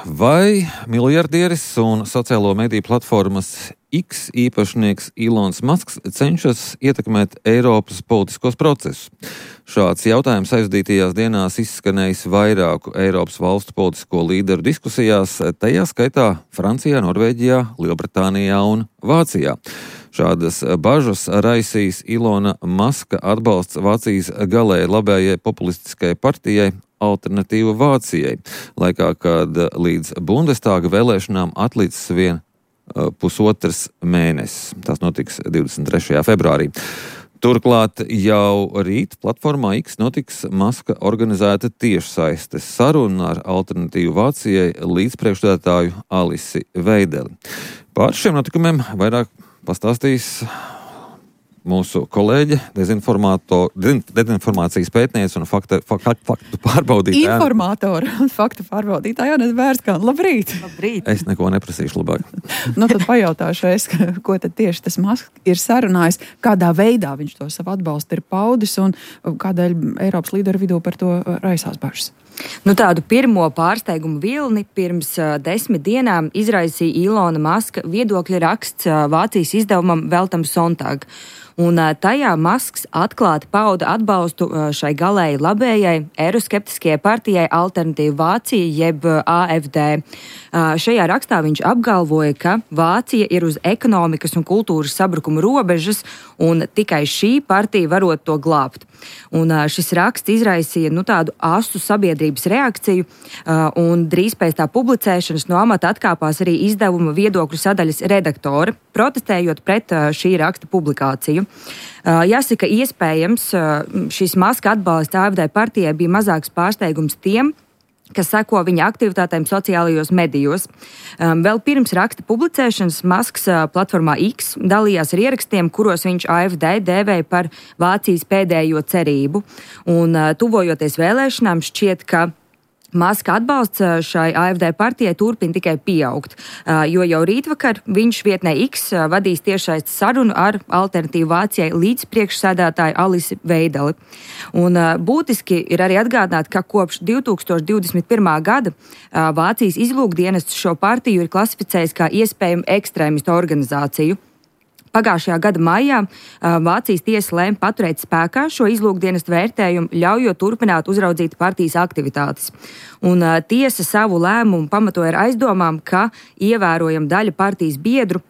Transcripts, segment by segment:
Vai miljardieris un sociālo mediju platformas X īpašnieks Ilons Masks cenšas ietekmēt Eiropas politiskos procesus? Šāds jautājums aizdītajās dienās izskanējis vairāku Eiropas valstu politisko līderu diskusijās, tajā skaitā Francijā, Norvēģijā, Lielbritānijā un Vācijā. Šādas bažas raisīs Ilona Maska atbalsts Vācijas galēji labējai populistiskajai partijai Alternatīva Vācijai, laikā, kad līdz Bundestāga vēlēšanām atlicis vien pusotrs mēnesis. Tas notiks 23. februārī. Turklāt jau rīt platformā X notiks Maska organizēta tiešsaistes saruna ar Alternatīvu Vācijai līdzpriekšsēdētāju Alisi Veideli. Par šiem notikumiem vairāk pastāstīs mūsu kolēģe, dezinformācijas pētniece un faktu pārbaudītāja. Informātora un faktu pārbaudītāja Jānis Bērskāne. Labrīt! Labrīt! Es neko neprasīšu labāk. Tad pajautāšu es, ko tad tieši tas Masks ir sarunājis, kādā veidā viņš to savu atbalstu ir paudis un kādēļ Eiropas līderu vidū par to raisās bažas. Tādu pirmo pārsteigumu vilni pirms 10 dienām izraisīja Ilona Maska viedokļa raksts Vācijas izdevumam Welt am Sonntag. Un tajā Masks atklāti pauda atbalstu šai galēji labējai eiroskeptiskajai partijai Alternatīva Vācija, jeb AfD. Šajā rakstā viņš apgalvoja, ka Vācija ir uz ekonomikas un kultūras sabrukuma robežas, un tikai šī partija varot to glābt. Un šis raksts izraisīja tādu asu sabiedrības reakciju, un drīz pēc tā publicēšanas no amata atkāpās arī izdevuma viedokļu sadaļas redaktore, protestējot pret šī raksta publikāciju. Jāsaka, iespējams, šis Maska atbalsts AfD partijai bija mazāks pārsteigums tiem, kas seko viņa aktivitātēm sociālajos medijos. Vēl pirms raksta publicēšanas Masks platformā X dalījās ar ierakstiem, kuros viņš AfD dēvēja par Vācijas pēdējo cerību. Un tuvojoties vēlēšanām šķiet, ka Maska atbalsts šai AfD partijai turpina tikai pieaugt, jo jau rītvakar viņš vietnē X vadīs tiešsaistes sarunu ar Alternatīvu Vācijai līdzpriekšsēdētāju Alisi Veideli. Un būtiski ir arī atgādināt, ka kopš 2021. gada Vācijas izlūkdienests šo partiju ir klasificējis kā iespējamu ekstrēmistu organizāciju. Pagājušajā gada maijā Vācijas tiesa lēma paturēt spēkā šo izlūkdienestu vērtējumu, ļaujot turpināt uzraudzīt partijas aktivitātes. Un tiesa savu lēmumu pamatoja ar aizdomām, ka ievērojama daļa partijas biedru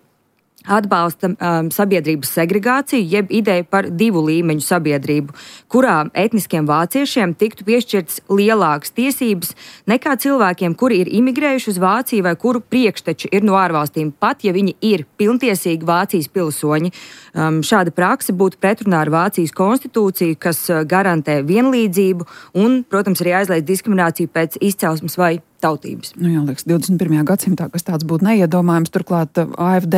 atbalsta sabiedrības segregāciju, jeb ideju par 2 līmeņu sabiedrību, kurā etniskiem vāciešiem tiktu piešķirtas lielākas tiesības nekā cilvēkiem, kuri ir imigrējuši uz Vāciju vai kuru priekšteči ir no ārvalstīm, pat ja viņi ir pilntiesīgi Vācijas pilsoņi. Šāda prakse būtu pretrunā ar Vācijas konstitūciju, kas garantē vienlīdzību un, protams, arī aizliedz diskrimināciju pēc izcelsmes vai tautības. Liekas, 21. gadsimtā, kas tāds būtu neiedomājams, turklāt AfD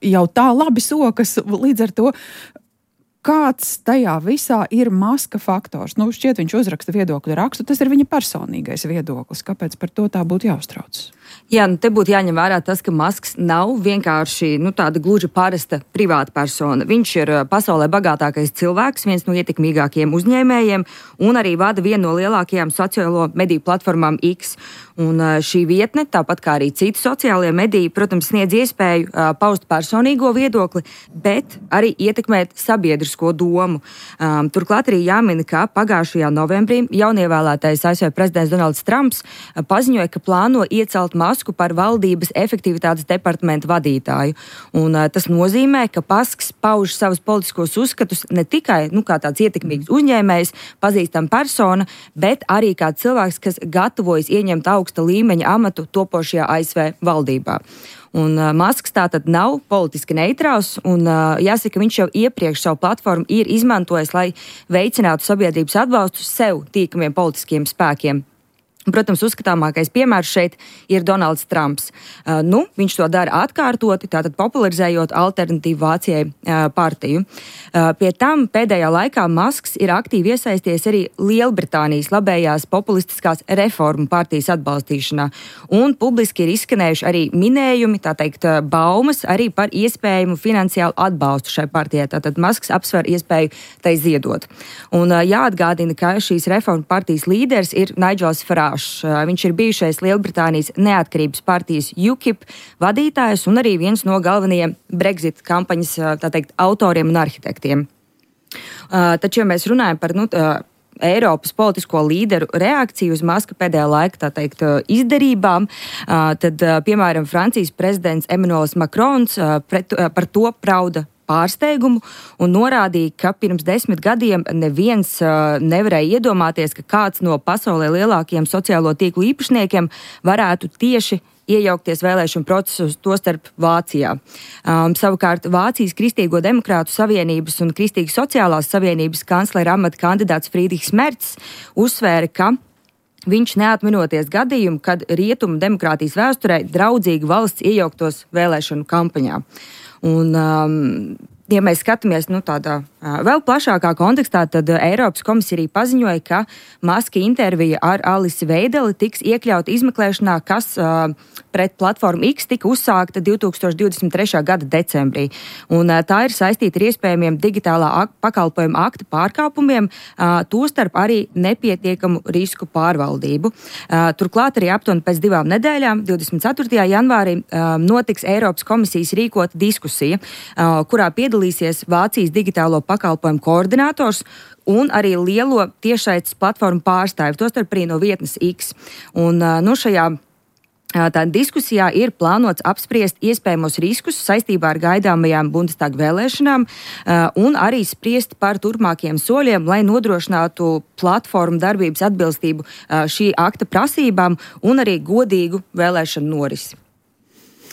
jau tā labi sokas, līdz ar to, kāds tajā visā ir Maska faktors. Šķiet, viņš uzraksta viedokļu rakstu, tas ir viņa personīgais viedoklis. Kāpēc par to tā būtu jāuztrauc? Jā, te būtu jāņem vērā tas, ka Masks nav vienkārši tāda gluži parasta privāta persona. Viņš ir pasaulē bagātākais cilvēks, viens no ietekmīgākajiem uzņēmējiem un arī vada vienu no lielākajām sociālo mediju platformām X. Un šī vietne, tāpat kā arī citi sociālie mediji, protams, sniedz iespēju paust personīgo viedokli, bet arī ietekmēt sabiedrisko domu. Turklāt arī jāmina, ka pagājušajā novembrī jaunievēlētais ASV prezidents Donalds Trumps paziņoja, ka plāno iecelt Masku par valdības efektivitātes departamenta vadītāju. Un tas nozīmē, ka Masks pauž savus politiskos uzskatus ne tikai kā tāds ietekmīgs uzņēmējs, pazīstama persona, bet arī kā cilvēks, kas gatavojas ieņemt augsta līmeņa amatu topošajā ASV valdībā. Un Masks tātad nav politiski neitrāls, un jāsaka, viņš jau iepriekš savu platformu ir izmantojis, lai veicinātu sabiedrības atbalstu sev tīkamiem politiskiem spēkiem. Protams, uzskatāmākais piemērs šeit ir Donalds Trumps. Viņš to dara atkārtoti, tātad popularizējot Alternatīvu Vācijai partiju. Pie tam pēdējā laikā Masks ir aktīvi iesaisties arī Lielbritānijas labējās populistiskās reformu partijas atbalstīšanā. Un publiski ir izskanējuši arī minējumi, tā teikt, baumas arī par iespējamu finansiālu atbalstu šai partijai. Tātad Masks apsver iespēju tai ziedot. Un jāatgādina, ka šīs reformu partijas līderis ir Nigels Farage. plašs. Viņš ir bijušais Lielbritānijas neatkarības partijas UKIP vadītājs un arī viens no galvenajiem Brexit kampaņas, tā teikt, autoriem un arhitektiem. Taču, ja mēs runājam par Eiropas politisko līderu reakciju uz Maska pēdējā laika, tā teikt, izdarībām, tad, piemēram, Francijas prezidents Emmanuels Macrons par to prauda pārsteigumu un norādīja, ka pirms 10 gadiem neviens nevarēja iedomāties, ka kāds no pasaulē lielākajiem sociālo tīklu īpašniekiem varētu tieši iejaukties vēlēšanu procesus, tostarp Vācijā. Savukārt Vācijas Kristīgo demokrātu savienības un Kristīgas sociālās savienības kanclera amata kandidāts Friedrichs Merts uzsvēra, ka viņš neatminoties gadījumu, kad rietumu demokrātijas vēsturē draudzīgi valsts iejauktos vēlēšanu kampaņā. Un, ja mēs skatāmies tādā vēl plašākā kontekstā, tad Eiropas komisija arī paziņoja, ka Maska intervija ar Alisi Veideli tiks iekļauta izmeklēšanā, kas pret platformu X tika uzsākta 2023. gada decembrī. Un tā ir saistīta ar iespējamiem digitālā pakalpojuma akta pārkāpumiem, tostarp arī nepietiekamu risku pārvaldību. Turklāt arī aptuveni pēc 2 nedēļām, 24. janvārī, notiks Eiropas komisijas rīkota diskusija, kurā piedalīsies Vācijas digitālo pakalpojumu koordinators un arī lielo tiešsaites platformu pārstāvi, tostarp arī no vietnes X. Un šajā tā diskusijā ir plānots apspriest iespējamos riskus saistībā ar gaidāmajām Bundestaga vēlēšanām un arī spriest par turpmākiem soļiem, lai nodrošinātu platformu darbības atbilstību šī akta prasībām un arī godīgu vēlēšanu norisi.